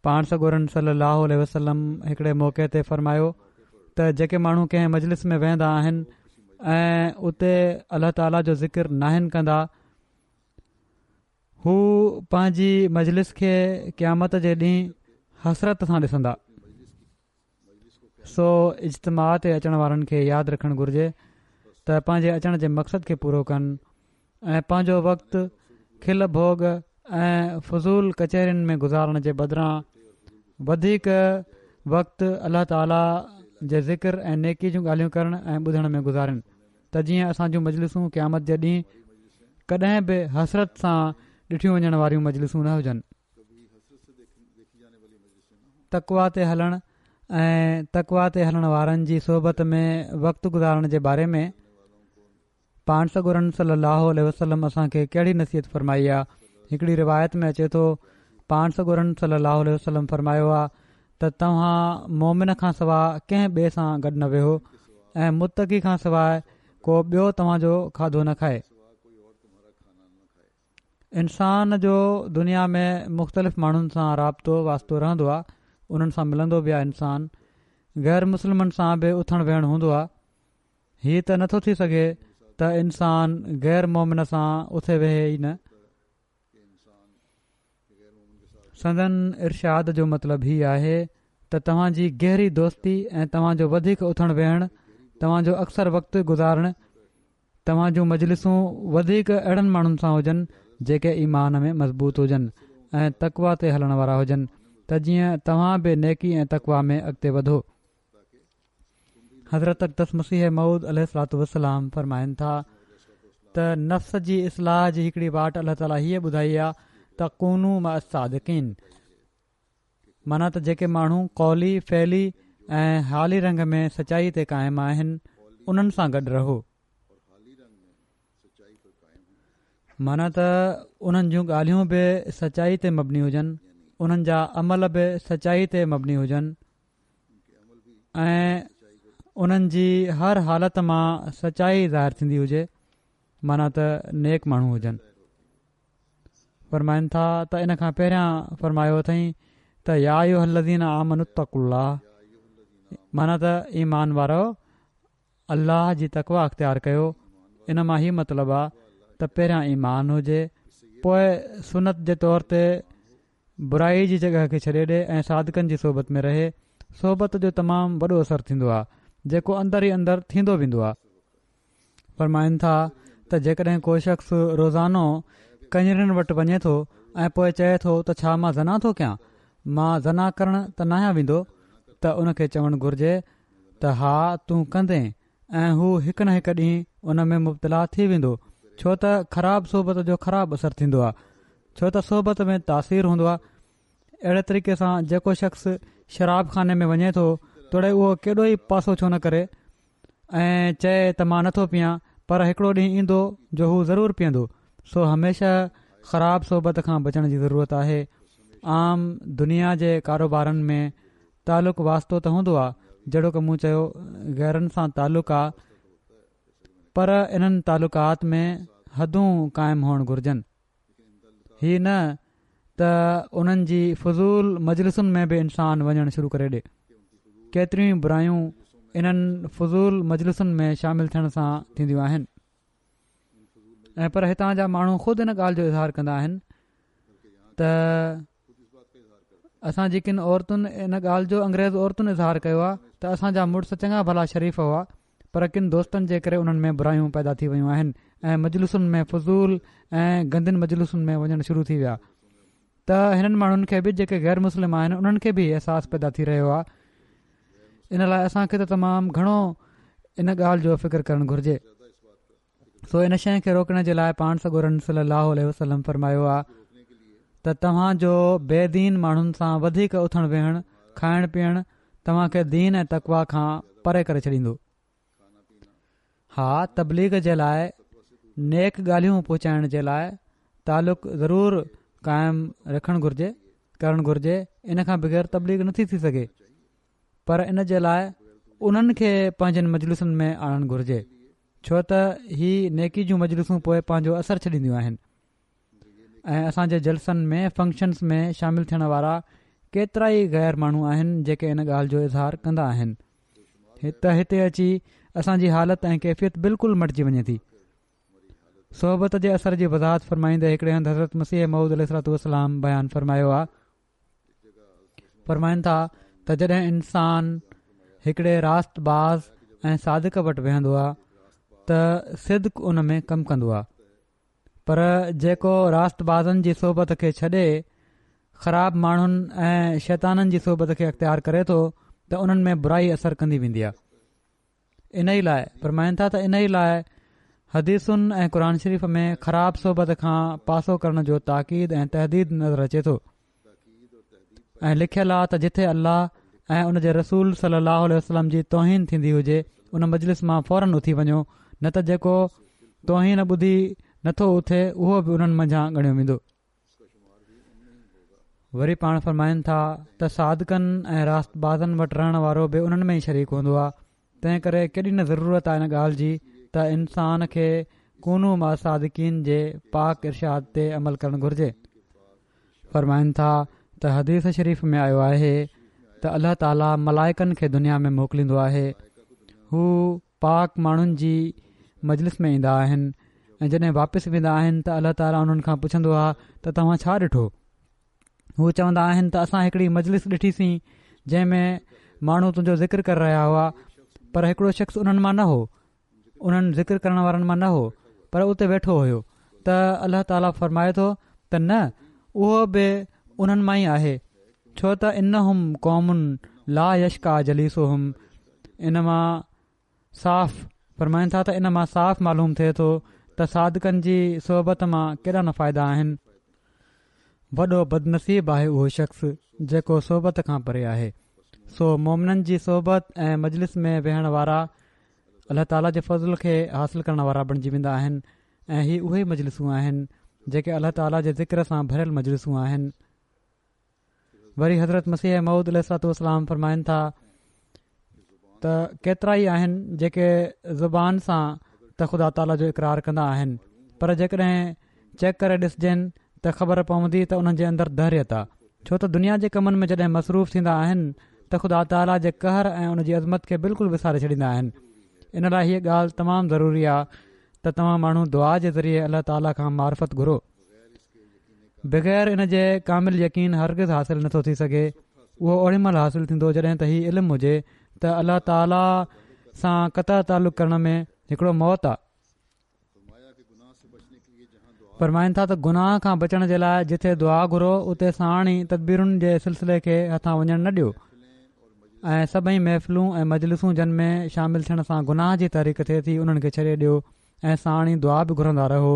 پاڻ سڳورن صلي الله عليه وسلم هڪڙي موقعي تي فرمايو ته جيڪي ماڻهو ڪنهن مجلس ۾ ويهندا آهن ۽ اتي الله تعاليٰ جو ذڪر ناهن ڪندا، هو پنهنجي مجلس کي قيامت جي ڏينهن حسرت سان ڏسندا. سو اجتماع تي اچڻ وارن کي ياد رکڻ گهرجي ته پنهنجي اچڻ جي مقصد کي پورو ڪن ۽ پنهنجو وقت کل ڀوڳ ۽ فضول ڪچهرين ۾ گذارڻ جي بدران وڌيڪ وقت الله تعاليٰ جي ذڪر ۽ نيڪي جون ڳالهيون ڪرڻ ۽ ٻڌڻ ۾ گذارين ته جيئن اسان جون مجلسون قيامت جي ڏينهن ڪڏهن به حسرت سان ڏٺيون وڃڻ واريون مجلسون نه هجن. تقويٰ تي هلڻ ۽ تقويٰ تي هلڻ وارن جي صحبت ۾ وقت گذارڻ جي باري ۾ پاڻ سڳورن صلي الله عليه وسلم اسان کي ڪهڙي نصيحت فرمائي آ. هڪڙي روايت ۾ اچي ٿو پاڻ سڳورن صلي الله عليه وسلم فرمايو آ ته توهان مومن کان سواءِ ڪنهن ٻئي سان گڏ نه ويهو ۽ متقي کان سواءِ ڪو ٻيو توهان جو کاڌو نه کائي. انسان جو دنيا ۾ مختلف ماڻهن سان رابطو واسطو رهندو آ، انهن سان ملندو به آ. انسان غير مسلمن سان به اٿڻ ويهڻ هوندو آ. هي ته نٿو ٿي سگهي ته انسان غير مومن سان اٿي ويهي ئي نه. سندن ارشاد جو مطلب هي آهي ته توهان جي گهري دوستي ۽ توهان جو وڌيڪ اٿڻ ويهڻ، توهان جو اڪثر وقت گذارڻ، توهان جون مجلسون وڌيڪ اهڙن ماڻهن سان هجن جيڪي ايمان ۾ مضبوط هجن ۽ تقويٰ تي هلڻ وارا هجن ته جيئن توهان به نيڪي ۽ تقويٰ ۾ اڳتي وڌو. حضرت اقدس مسيح موعود عليه الصلوة والسلام فرمائن ٿا ته نفس جي اصلاح جي هڪڙي واٽ الله تعاليٰ هيء ٻڌائي آ ته ڪونوا مع الصادقين، معنيٰ ته جيڪي ماڻهو قولي، فعلي ۽ حالي رنگ ۾ سچائي تي قائم آهن انهن سان گڏ رهو. معنيٰ ته انهن جون ڳالهيون به سچائي تي مبني هجن، انهن جا عمل به سچائي تي مبني هجن ۽ انهن جي هر حالت مان سچائي ظاهر ٿيندي هجي، معنيٰ ته نيڪ ماڻهو هجن. فرمائن ٿا ته ان کان پهريان فرمايو اٿئين ته يا ايها الذين آمنوا اتقوا الله، معنيٰ ته ايمان وارو الله جي تقويٰ اختيار ڪيو. ان مان هي مطلب آ ته پهريان ايمان هجي، پوءِ سنت جي طور تي برائي جي جڳهه کي ڇڏي ڏي ۽ صادقن جي صحبت ۾ رهي. صحبت جو تمام وڏو اثر ٿيندو آ جيڪو اندر ئي اندر ٿيندو ويندو آ. فرمائن ٿا ته جيڪڏهن ڪو شخص روزانو ڪڃرين وٽ وڃي ٿو ۽ پوءِ چئي ٿو ته ڇا مان زنا ٿو ڪيان، مان زنا ڪرڻ ته ناهيان ويندو، ته ان کي چوڻ گهرجي ته ها تون ڪندين، ۽ هو هڪ نه هڪ ڏينهن ان ۾ مبتلا ٿي ويندو، ڇو ته خراب صحبت جو خراب اثر ٿيندو آ، ڇو ته صحبت ۾ تاثير هوندو آ. اهڙي طريقي سان جيڪو شخص شراب خاني ۾ وڃي ٿو توڙي اهو ڪيڏو ئي پاسو ڇو نه ڪري ۽ چئي ته مان نٿو پيان، پر هڪڙو ڏينهن ايندو جو هو ضرور پيئندو. سو هميشه خراب صحبت کان بچڻ جي ضرورت آهي. عام دنيا جي ڪاروبارن ۾ تعلق واسطو ته هوندو آ، جهڙوڪ مون چيو غيرن سان تعلق آ، پر انهن تعلقات ۾ حدون قائم هئڻ گهرجن. هي نه ته انهن جي فضول مجلسن ۾ به انسان وڃڻ شروع ڪري ڏي. ڪيتريون ئي برايون انهن فضول مجلسن ۾ شامل ٿيڻ سان ٿينديون آهن ۽ پر هتان جا ماڻهو خود ان ڳالهه جو اظهار ڪندا آهن ته اسان جي ڪن عورتن ان ڳالهه جو انگريز عورتن اظهار ڪيو آهي ته اسان جا مڙس چڱا ڀلا شريف هئا، پر ڪن دوستن جي ڪري انهن ۾ برايون پيدا ٿي ويون آهن ۽ مجلسن ۾ فضول ۽ گندين مجلسن ۾ وڃڻ شروع ٿي ويا. ته هنن ماڻهن کي به جيڪي غير مسلم آهن انهن کي به احساس پيدا ٿي رهيو آهي. ان لاءِ اسان کي ته تمام گهڻو ان ڳالهه جو فڪر ڪرڻ گهرجي. سو ان شيءِ کي روڪڻ جي لاءِ پاڻ سڳورن صلي الله عليه وسلم فرمايو آهي ته توهان جو بي دين ماڻهن سان وڌيڪ اٿڻ ويهڻ، کائڻ پيئڻ توهان کي دين ۽ تقويٰ کان پري ڪري ڇڏيندو. ها، تبليغ جي لاءِ نيڪ ڳالهيون پهچائڻ جي لاءِ تعلق ضرور قائم رکڻ گهرجي، ڪرڻ گهرجي، ان کان بغير تبليغ نٿي ٿي سگهي، پر ان جي لاءِ انهن کي پنهنجن مجلسن ۾ آڻڻ گهرجي، ڇو ته هي نيڪي جون مجلسون پوءِ پنهنجو اثر ڇڏينديون آهن. ۽ اسان جي جلسن ۾ فنڪشنز ۾ شامل ٿيڻ وارا ڪيترا ئي غير ماڻهو آهن جيڪي ان ڳالهه جو اظهار ڪندا آهن ته هتي اچي اسان جي حالت ۽ ڪيفيت بلڪل مٽجي وڃي ٿي. صحبت جي اثر جي وضاحت فرمائيندي هڪڙي هنڌ حضرت مسيح موعود عليه الصلوة والسلام بيان فرمايو آهي، فرمائن ٿا ته جڏهن انسان هڪڙي راست باز ۽ صادق وٽ ويهندو آهي ته صدق ان ۾ ڪم ڪندو آهي، پر جيڪو راست بازن جي صحبت کي ڇڏي خراب ماڻهن ۽ شيطانن جي صحبت کي اختيار ڪري ٿو ته انهن ۾ برائي اثر ڪندي ويندي آهي. ان ئي لاءِ فرمائن ٿا ته ان ئي لاءِ حديثن ۽ قرآن شريف ۾ خراب صحبت کان پاسو ڪرڻ جو تاڪيد ۽ تهديد نظر اچي ٿو ۽ لکيل آهي ته جٿي الله ۽ ان جي رسول صلي الله عليه وسلم جي توهين ٿيندي هجي ان مجلس مان فورن اٿي وڃو، نه ته جيڪو توهين ٻڌي نٿو اٿي اهو به انهن منجهان ڳڻيو ويندو. وري پاڻ فرمائن ٿا ته صادقن ۽ راست بازن وٽ رهڻ وارو به انهن ۾ ئي شريڪ هوندو آهي، تنهن ڪري ڪيڏي نه ضرورت آهي ان ڳالهه جي ته انسان کي ڪونوا مع الصادقين جي پاڪ ارشاد تي عمل ڪرڻ گهرجي. فرمائن ٿا ته حديث شريف ۾ آيو آهي ته الله تعاليٰ ملائڪن کي دنيا ۾ موڪليندو آهي، هو پاڪ ماڻهن جي مجلس ۾ ايندا آهن ۽ جڏهن واپس ويندا آهن ته الله تعاليٰ انهن کان پڇندو آهي ته توهان ڇا ڏٺو؟ هو چوندا آهن ته اسان هڪڙي مجلس ڏٺيسين جنهن ۾ ماڻهو تنهنجو ذڪر ڪري رهيا هئا، پر هڪڙو شخص انهن مان نه هو، انهن ذڪر ڪرڻ وارن مان نه هو، پر اتي ويٺو هيو. ته الله تعاليٰ فرمائي ٿو ته نه، اهو به انهن مان ئي آهي، ڇو ته انهم قوم لا يشقيٰ جليسهم. ان مان صاف فرمائن ٿا ته ان مان صاف معلوم ٿئي ٿو ته صادقن جي صحبت مان ڪيڏا نه فائدا آهن. وڏو بدنصيب آهي اهو شخص جيڪو صحبت کان پري آهي. سو مومنن جي صحبت ۽ مجلس ۾ ويهڻ وارا الله تعاليٰ جي فضل کي حاصل ڪرڻ وارا بڻجي ويندا آهن ۽ هي اهي مجلسون آهن جيڪي الله تعاليٰ جي ذڪر سان ڀريل مجلسون آهن. وري حضرت مسيح موعود عليه الصلوة والسلام فرمائن ٿا ته ڪيترا ئي آهن جيڪي زبان سان ته خدا تعاليٰ جو اقرار ڪندا آهن، پر جيڪڏهن چيڪ ڪري ڏسجن ته خبر پوندي ته انهن جي اندر دهريت آهي، ڇو ته دنيا جي ڪمن ۾ جڏهن مصروف ٿيندا آهن ته خدا تعاليٰ جي قهر ۽ ان جي عظمت کي بلڪل وساري ڇڏيندا آهن. ان لاءِ هيءَ ڳالهه تمام ضروري آهي ته توهان ماڻهو دعا جي ذريعي الله تعاليٰ کان معرفت گهرو. بغير ان جي ڪامل يقين هرگز حاصل نٿو ٿي سگهي. اهو اوڏي مهل حاصل ٿيندو جڏهن ته هي علم هجي ته الله تعاليٰ سان قطع تعلق ڪرڻ ۾ هڪڙو موت آهي. فرمائن ٿا ته گناهه کان بچڻ جي لاءِ جٿي دعا گهرو اتي ساڻ ئي تدبيرن جي سلسلي کي هٿان وڃڻ نه ڏيو ۽ سڀئي محفلون ۽ مجلسون جن ۾ شامل ٿيڻ سان گناهه جي تحريڪ ٿئي ٿي انهن کي ڇڏي ڏيو ۽ ساڻ ئي دعا به گهرندا رهو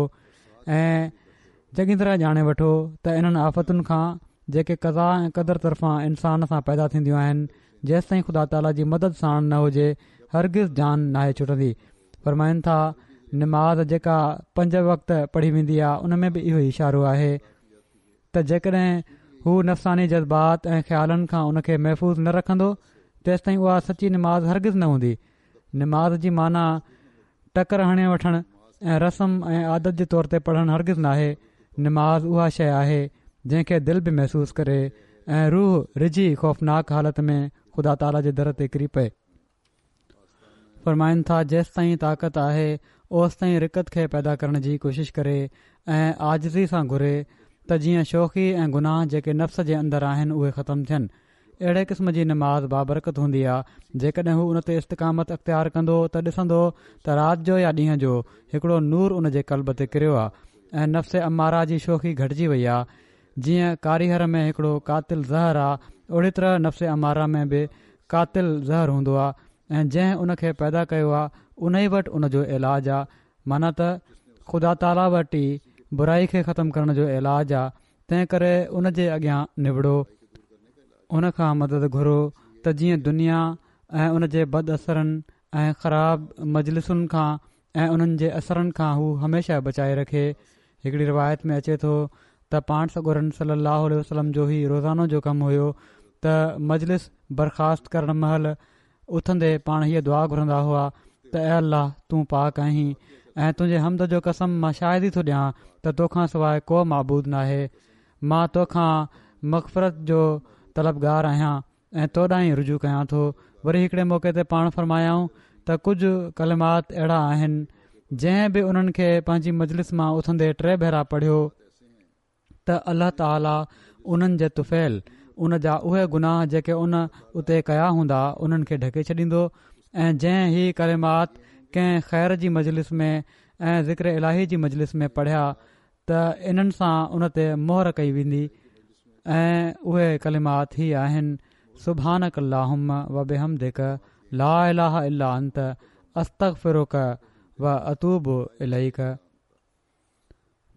۽ چڱي طرح ڄاڻي وٺو ته انهن آفتن کان جيڪي قضا ۽ قدر طرفان انسان سان پيدا ٿينديون آهن جيستائين خدا تعاليٰ جي مدد ساڻ نه هجي هرگز جان ناهي ڇٽندي. فرمائن ٿا نماز جيڪا پنج وقت پڙهي ويندي آهي ان ۾ به اهو ئي اشارو آهي ته جيڪڏهن هو نفساني جذبات ۽ خيالن کان ان کي محفوظ نه رکندو تيستائين اها سچي نماز هرگز نه هوندي. نماز جي معنيٰ ٽڪر هڻي وٺڻ ۽ رسم ۽ عادت جي طور تي پڙهڻ هرگز ناهي. نماز اها شيءِ آهي جنهن کي دل به محسوس ڪري ۽ روح رجي خوفناڪ حالت ۾ خدا تعاليٰ جي در تي ڪري پئي. فرمائن ٿا جيستائين طاقت آهي اوستائين رقت کي پيدا ڪرڻ جي ڪوشش ڪري ۽ عاجزي سان گهري ته جيئن شوخي ۽ گناهه جيڪي نفس جي اندر آهن اهي ختم ٿين. اهڙي قسم جي نماز بابرڪت هوندي آهي. جيڪڏهن هو ان تي استقامت اختيار ڪندو ته ڏسندو ته رات جو يا ڏينهن جو هڪڙو نور ان جي قلب تي ڪريو آهي ۽ نفس اماره جي شوخي گهٽجي وئي آهي. جيئن ڪاريهر ۾ هڪڙو قاتل زهر آهي اوڙي طرح نفس اماره ۾ به قاتل زهر هوندو آهي ۽ جنهن ان کي پيدا ڪيو آهي ان ئي وٽ ان جو علاج آهي. معنيٰ ته خدا تعاليٰ وٽ ئي برائي کي ختم ڪرڻ جو علاج آهي، تنهن ڪري ان جي اڳيان نوڙو، ان کان مدد گهرو ته جيئن دنيا ۽ ان جي بد اثرن ۽ خراب مجلسن کان ۽ انهن جي اثرن کان هو هميشه بچائي رکي. هڪڙي روايت ۾ اچي ٿو ته پاڻ سڳورن صلي الله عليه وسلم جو هي روزانو جو ڪم هيو ته مجلس برخاست ڪرڻ مهل اٿندي پاڻ هيء دعا گهرندا هئا ته اي الله، تون پاڪ آهين ۽ تنهنجي حمد جو قسم مان شاهدي ٿو ڏيان ته توکان سواءِ ڪو معبود ناهي. مان توکان مغفرت جو طلبگار آهيان ۽ تو ڏانهن ئي رجوع ڪيان ٿو. وري هڪڙي موقعي تي پاڻ فرمايائون ته ڪجهه ڪلمات اهڙا آهن جنهن به انهن کي پنهنجي مجلس مان اٿندي ٽي ڀيرا پڙهيو ته الله تعاليٰ انهن جي طفيل ان جا اهي گناهه جيڪي ان اتي ڪيا هوندا انهن کي ڍڪي ڇڏيندو. ۽ جنهن هي ڪلمات ڪنهن خير جي مجلس ۾ ۽ ذڪر الاهي جي مجلس ۾ پڙهيا ته انهن سان ان تي مهر ڪئي ويندي. ۽ اهي ڪلمات هي آهن: سبحانڪ اللهم وبحمدڪ لا اله الا انت استغفرک و اتوب اليڪ.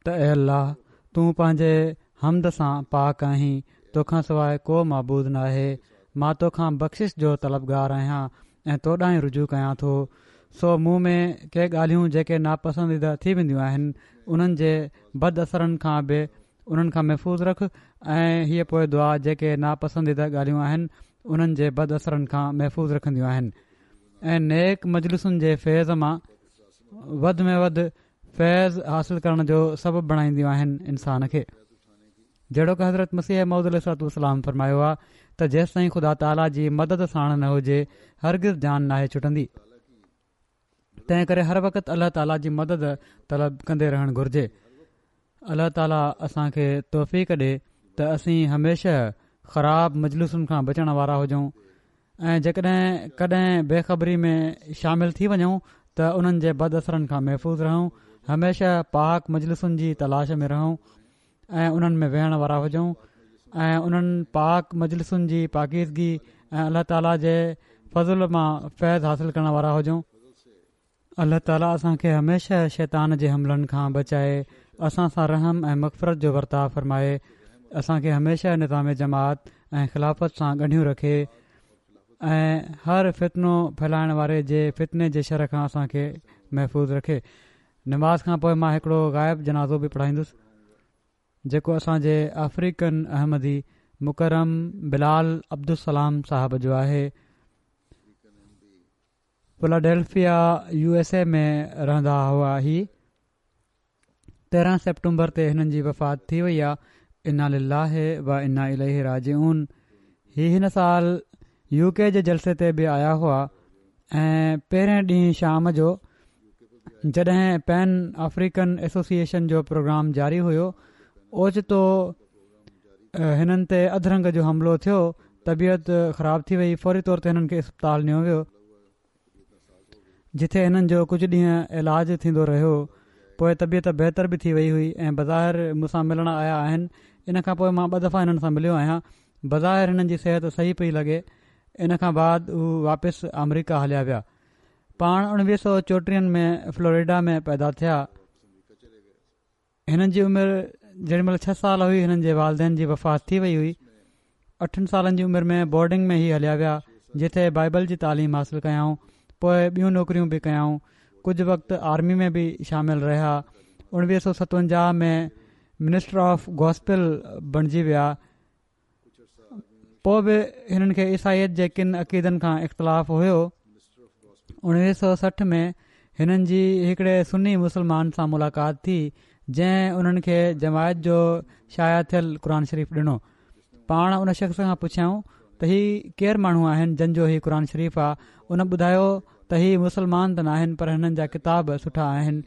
ته اي الله، تون پنهنجي حمد سان پاڪ آهين، توکان سواءِ ڪو معبود ناهي. مان توکان بخشش جو طلبگار آهيان ۽ تو ڏانهن رجوع ڪيان ٿو. سو مون ۾ ڪي ڳالهيون جيڪي ناپسنديده ٿي وينديون آهن انهن جي بد اثرن کان به انهن کان محفوظ رک. ۽ هيءَ پوءِ دعا جيڪي ناپسنديده ڳالهيون آهن انهن جي بد اثرن کان محفوظ رکنديون آهن ۽ نيڪ مجلسن جي فيض مان وڌ ۾ وڌ فيض حاصل ڪرڻ جو سبب بڻائينديون آهن انسان کي. جهڙوڪ حضرت مسيح موعود عليه الصلوة والسلام فرمايو آهي ته جيستائين خدا تعاليٰ جي مدد ساڻ نه هجي هرگز جان ناهي ڇٽندي. تنهن ڪري هر وقت الله تعاليٰ جي مدد طلب ڪندي رهڻ گهرجي. الله تعاليٰ اسان کي توفيق ڏي ته اسين هميشه خراب مجلسن کان بچڻ وارا هجون ۽ جيڪڏهن ڪڏهن بيخبري ۾ شامل ٿي وڃون ته انهن جي بد اثرن کان محفوظ رهون. هميشه پاڪ مجلسن جي تلاش ۾ رهون ۽ انهن ۾ ويهڻ وارا هجون ۽ انهن پاڪ مجلسن جي پاڪيزگي ۽ الله تعاليٰ جي فضل مان فيض حاصل ڪرڻ وارا هجون. الله تعاليٰ اسان کي هميشه شيطان جي حملن کان بچائي، اسان سان رحم ۽ مغفرت جو ورتاءُ فرمائي، اسان کي هميشه نظام جماعت ۽ خلافت سان ڳنڍيون رکي ۽ هر فتنو ڦهلائڻ واري جي فتني جي شر کان اسان کي محفوظ رکي. نماز کان پوءِ مان هڪڙو غائب جنازو به پڙهائيندس جيڪو اسان جي آفريڪن احمدي مڪرم بلال عبدالسلام صاحب جو آهي. فلاڊيلفيا يو ايس اي ۾ رهندا هئا. هي تيرهن سيپٽمبر تي هنن جي وفات ٿي وئي آهي. انا لله و انا اليه راجعون. هي هن سال يو ڪي جي جلسي تي به آيا هئا ۽ پهرين ڏينهن شام جو جڏهن پين آفريڪن ايسوسيئيشن جو پروگرام جاري هيو، اوچتو هنن تي اڌ رنگ جو حملو ٿيو، طبيعت خراب ٿي وئي. فوري طور تي هنن کي اسپتال نيو ويو جتي هنن جو ڪجهه ڏينهن علاج ٿيندو رهيو. پوءِ طبيعت بهتر به ٿي وئي هئي ۽ بظاهر مون سان ملڻ آيا آهن. ان کان پوءِ مان ٻه دفعا هنن سان مليو آهيان. بظاهر هنن جي صحت صحيح پئي لڳي. ان کان بعد هو واپس آمريڪا هليا ويا. پاڻ اڻويهه سؤ چوٽيهن ۾ فلوريڊا ۾ پيدا ٿيا. هنن جي عمر جيڏي مهل ڇهه سال هئي هنن جي والدين جي وفات ٿي وئي هئي. اٺن سالن جي عمر ۾ بورڊنگ ۾ هي هليا ويا جتي بائبل جي تعليم حاصل ڪيائون. پوءِ ٻيون نوڪريون به ڪيائون. ڪجهه وقت آرمي ۾ به شامل رهيا. اڻويهه سؤ ستونجاهه ۾ منسٽر آف گاسپل بڻجي ويا. پوءِ به هنن کي عيسائيت جي ڪن عقيدن کان اختلاف هيو. اڻويهه سؤ سٺ ۾ هنن جي هڪڙي سني مسلمان سان ملاقات ٿي جنهن انهن کي جماعت جو شايع ٿيل قرآن شريف ڏنو. پاڻ ان شخص کان پڇيائون ته هي ڪير ماڻهو آهن جن جو هي قرآن شريف آهي؟ ان ٻڌايو ته هي مسلمان ته ناهن پر هنن جا ڪتاب سٺا آهن.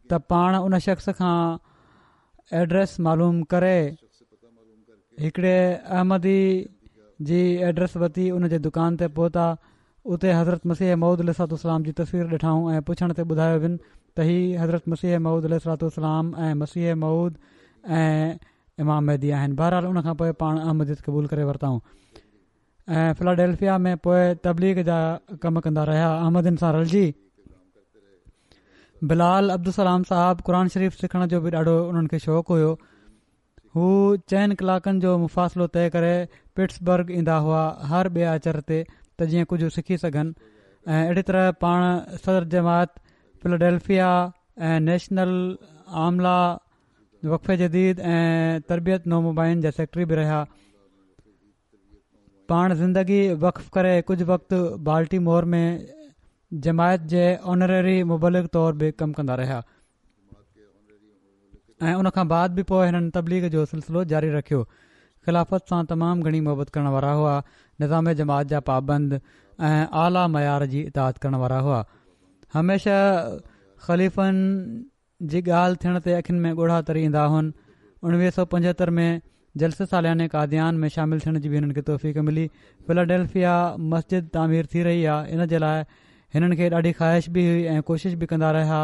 ته پاڻ ان شخص کان ايڊريس معلوم ڪري هڪڙي احمدي جي ايڊريس ورتي، ان جي دڪان تي پهتا. اتي حضرت مسيح موعود عليه الصلوة والسلام جي تصوير ڏٺائون ۽ پڇڻ تي ٻڌايو وين ته هي حضرت مسيح موعود عليه الصلوة والسلام ۽ مسيح موعود ۽ امام مهدي آهن. بهرحال ان کان پوءِ پاڻ احمديت قبول ڪري ورتائون ۽ فلاڊيلفيا ۾ پوءِ تبليغ جا ڪم ڪندا رهيا. احمدين سان رلجي بلال عبدالسلام صاحب قرآن شريف سکڻ جو به ڏاڍو انهن کي شوق هيو. هو چئن ڪلاڪن جو مفاصلو طئي ڪري پٽسبرگ ايندا هئا هر ٻئي آچر تي ته جيئن ڪجهه سکي سگهن. ۽ اهڙي طرح پاڻ صدر جماعت فلاڊيلفيا ۽ نيشنل عامله وقف جديد ۽ تربيت نومبائعين جا سيڪريٽري به رهيا. پاڻ زندگي وقف ڪري ڪجهه وقت بالٽيمور ۾ جماعت جي آنريري مبلغ طور به ڪم ڪندا رهيا ۽ ان کان بعد به پوءِ هنن تبليغ جو سلسلو جاري رکيو. خلافت سان تمام گهڻي محبت ڪرڻ وارا هئا، نظام جماعت جا پابند ۽ اعليٰ معيار جي اطاعت ڪرڻ وارا هئا. هميشه خليفن جي ڳالهه ٿيڻ تي اکين ۾ ڳوڙها تري ايندا هئن. اڻويهه سؤ پنجهتر ۾ جلسي سالياني قاديان ۾ شامل ٿيڻ جي به هنن کي توفيق ملي. فلاڊيلفيا مسجد تعمير ٿي رهي آهي، ان جي لاءِ هنن کي ڏاڍي خواهش به هئي ۽ ڪوشش به ڪندا رهيا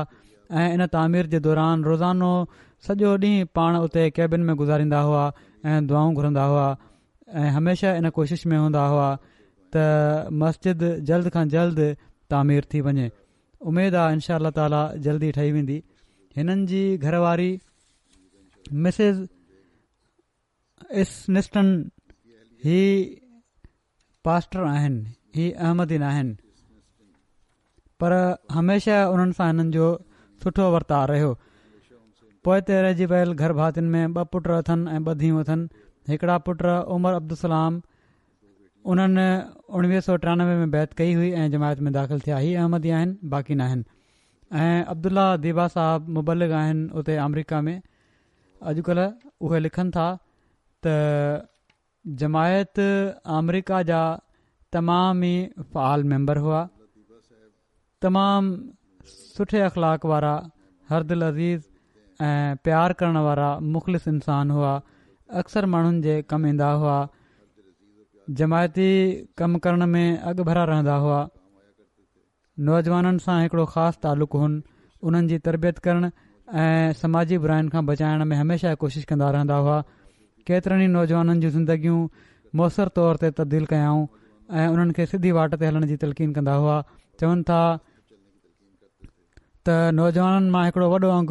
۽ ان تعمير جي دوران روزانو سڄو ڏينهن پاڻ اتي ڪيبن ۾ گذاريندا هئا ۽ دعائون گهرندا هئا ۽ هميشه ان ڪوشش ۾ هوندا هئا ته مسجد جلد کان جلد تعمير ٿي وڃي. اميد آهي انشاء الله تعاليٰ جلدي ٺهي ويندي. هنن جي گهر واري مسز اسنسٽن هي پاسٽر آهن، هي احمدي ناهن، پر هميشه انهن سان هنن جو سٺو ورتاءُ رهيو. پوئتي رهجي ويل گهر ڀاتين ۾ ٻه پٽ اٿن ۽ ٻه ڌيئون اٿن. هڪڙا پٽ عمر عبدالسلام، انهن اڻويهه سؤ ٽيانوي ۾ بيعت ڪئي هئي ۽ جماعت ۾ داخل ٿيا. هي احمدي آهن، باقي ناهن. ۽ عبدالله ديبا صاحب مبلغ آهن اتي آمريڪا ۾ اڄڪلهه. اهي لکن ٿا ته جماعت آمريڪا جا تمام ئي فعال ميمبر هئا، تمام سٺي اخلاق وارا، هر دل عزيز ۽ پيار ڪرڻ وارا مخلص انسان هئا. اڪثر ماڻهن جي ڪم ايندا هئا، جماعتي ڪم ڪرڻ ۾ اڳ ڀرا رهندا هئا. نوجوانن سان هڪڙو خاص تعلق هن، انهن جي تربيت ڪرڻ ۽ سماجي براين کان بچائڻ ۾ هميشه ڪوشش ڪندا رهندا هئا. ڪيترن ئي نوجوانن جون زندگيون مؤثر طور تي تبديل ڪيائون ۽ انهن کي سڌي واٽ تي هلڻ جي تلقين ڪندا هئا. چون ٿا ته نوجوانن مان هڪڙو وڏو انگ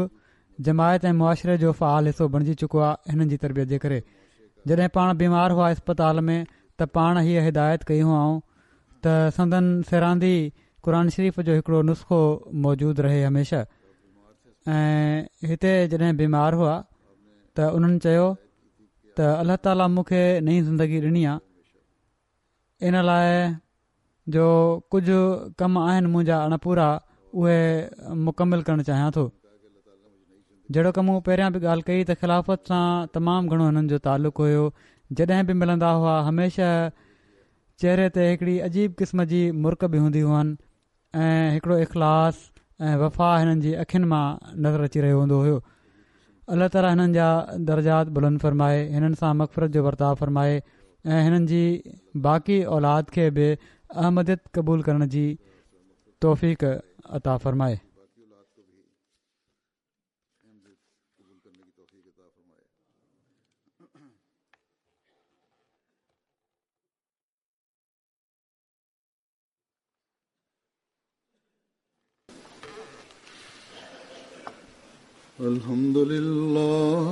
جماعت ۽ معاشري جو فعال حصو بڻجي چڪو آهي هنن جي تربيت جي ڪري. جڏهن پاڻ بيمار هئا اسپتال ۾ ته پاڻ هيءَ هدايت ڪئي هئائون ته سندن سيراندي قرآن شريف جو هڪڙو نسخو موجود رهي هميشه. ۽ هتي جڏهن بيمار هئا ته انهن چيو ته الله تعاليٰ مون کي نئين زندگي ڏني آهي، ان لاءِ جو ڪجهه ڪم آهن منهنجا اڻپورا، اهي مڪمل ڪرڻ چاهيان ٿو. جهڙو ڪم مون پهريان به ڳالهه ڪئي ته خلافت سان تمام گهڻو هنن جو تعلق هيو. جڏهن به ملندا هئا هميشه چهري تي هڪڙي عجيب قسم جي مرڪ به هوندي هئن ۽ هڪڙو اخلاص ۽ وفا هنن جي اکين مان نظر اچي رهيو هوندو هيو. الله تعاليٰ هنن جا درجات بلند فرمائي، هنن سان مغفرت جو ورتاءُ فرمائي ۽ هنن جي باقي اولاد کي به احمديت قبول ڪرڻ جي توفيق عطا فرمائي. الحمد لله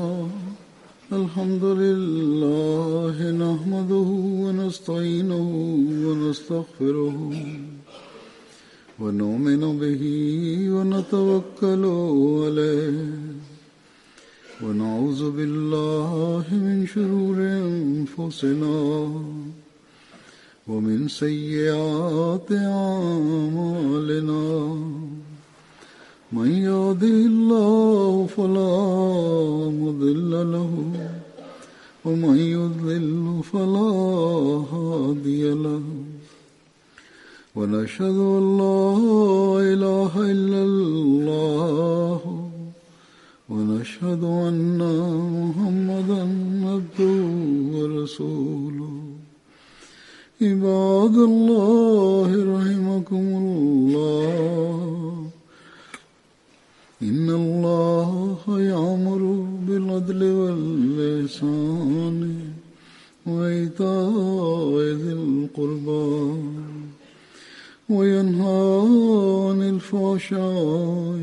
الحمد لله نحمده ونستعينه ونستغفره ونؤمن به ونتوكل عليه ونعوذ بالله من شرور أنفسنا ومن سيئات أعمالنا من يهده الله فلا مضل له ومن يضلل فلا هادي له ونشهد أن لا إله إلا الله ونشهد أن محمدا عبده ورسوله. عباد الله رحمكم الله، إن الله يأمر بالعدل والإحسان وإيتاء ذي القربى وينهى عن الفحشاء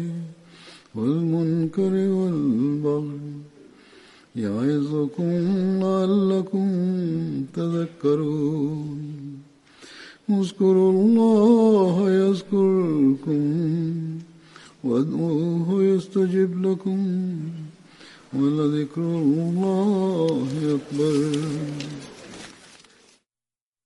والمنكر والبغي يعظكم لعلكم تذكرون. اذكروا الله يذكركم وادعوه يستجب لكم ولذكر الله أكبر.